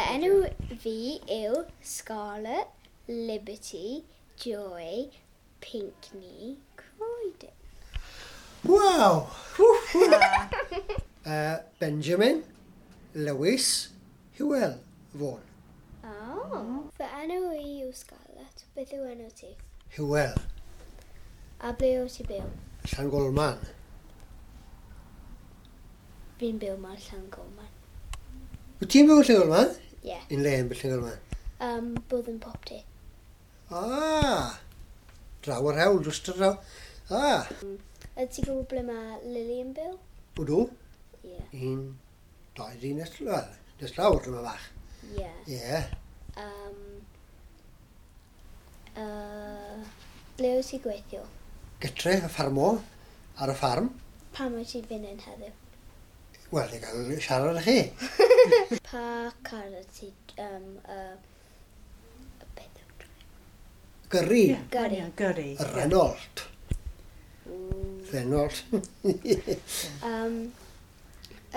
Enw fi yw Scarlett Liberty Joy Pinkney Croydon. Waw! Benjamin Lewis Hywel Vaughan. Oh. Fy enw i yw Scarlett. Beth yw enw ti? Hywel. A ble wyt ti byw? Llangolman. Fi'n byw mewn Llangolman. Wyt ti'n byw yn Llangolman? Ie. Yeah. Un le yn byw Llangolman? Bwthyn Popty. Ah! Draw yr hewl, dros y draw. Ah! Ydy ti'n gwybod ble mae Lily yn byw? Ydw. Ie. Yeah. Un, dau, dri, nes, wel, nes lawr yma bach. Ie. Yeah. Ie. Yeah. Ble wyt ti'n gweithio? Gytre, y ffarmo, ar y ffarm. Pam wyt ti'n fynd yn heddiw? Wel, i gael siarad â chi. Pa car wyt ti... Beth yw Gyrru. Yeah, Gyrru. Yeah, gyrru. Renault. Renault.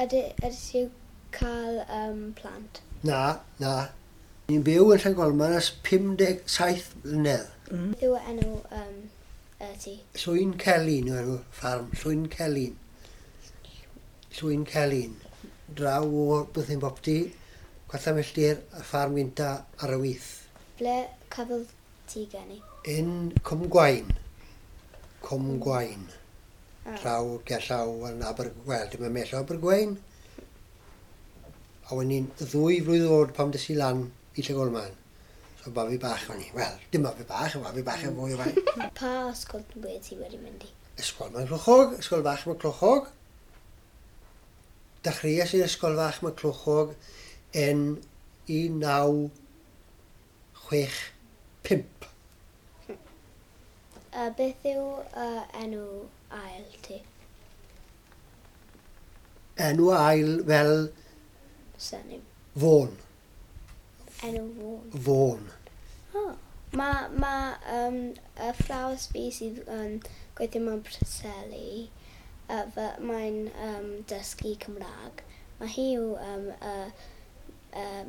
Ydy ti'n cael plant? Na, na. Ni'n byw yn Llangolman ers 57 mlynedd. Beth yw enw ti? Llwyn Celyn yw enw ffarm. Llwyn Celyn. Llwyn Celyn. Draw o Bwthyn Bopty, chwarter milltir, y ffarm gynta ar y wyth. Ble cafodd ti geni? In Cwm Gwaun. Cwm Gwaun. Ah. Draw gerllaw yn Abergwel. Dim yn mell o Abergwein. A o'n i'n 2 flwydd oed pan des i lan i Llangolman. So babi bach o'n i. Wel, dim babi bach, babi bach yn fwy o faint. Pa ysgol wedi ti wedi mynd i? Ysgol Maenclochog, ysgol fach Maenclochog. Dechreuais i'r ysgol fach Maenclochog yn 1965. Beth yw enw ail ti? Enw ail fel Surname. Vaughan. Enw Vaughan. Vaughan. Oh. Mae ma y athrawes fi sydd yn gweithio mewn Preseli, mae'n dysgu Cymraeg. Mae hi yw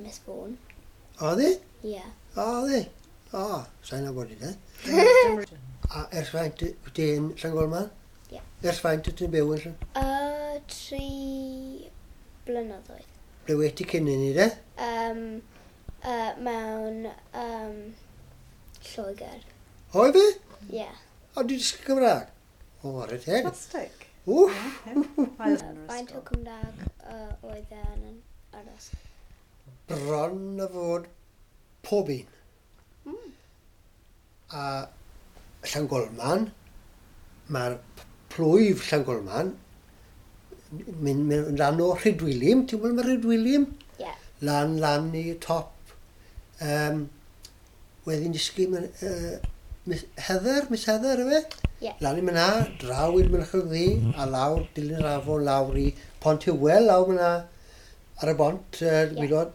Miss Vaughan. Oedd hi? Ie. Yeah. Oedd hi? O, sa'n nabod i de. A ers faint wyt ti yn Llangolman? Ie. Ers faint wyt ti'n byw yn Llan? 3 blynyddoedd. Ble wyt ti cyn i ni de? Mewn Lloegr. Oedd fi? Ie. Yeah. O, di dysgu Cymraeg? O, ar y teg. Fantastic. Wff! Faint o Cymraeg oedd e yn yr ysgol? Bron a fod pob un. A Llangolman, mae'r plwyf Llangolman, mynd lan o Rhydwilym, ti'n gwybod mae Rhydwilym? Ie. Yeah. Lan i top. Wedyn dysgu Miss Heather, Miss Heather, yfe? Ie. Lan i myna, draw i'r Mynachlog Ddu, a lawr, dilyn yr afon lawr i Pont Hywel, lawr myna, ar y bont, Ie. yeah.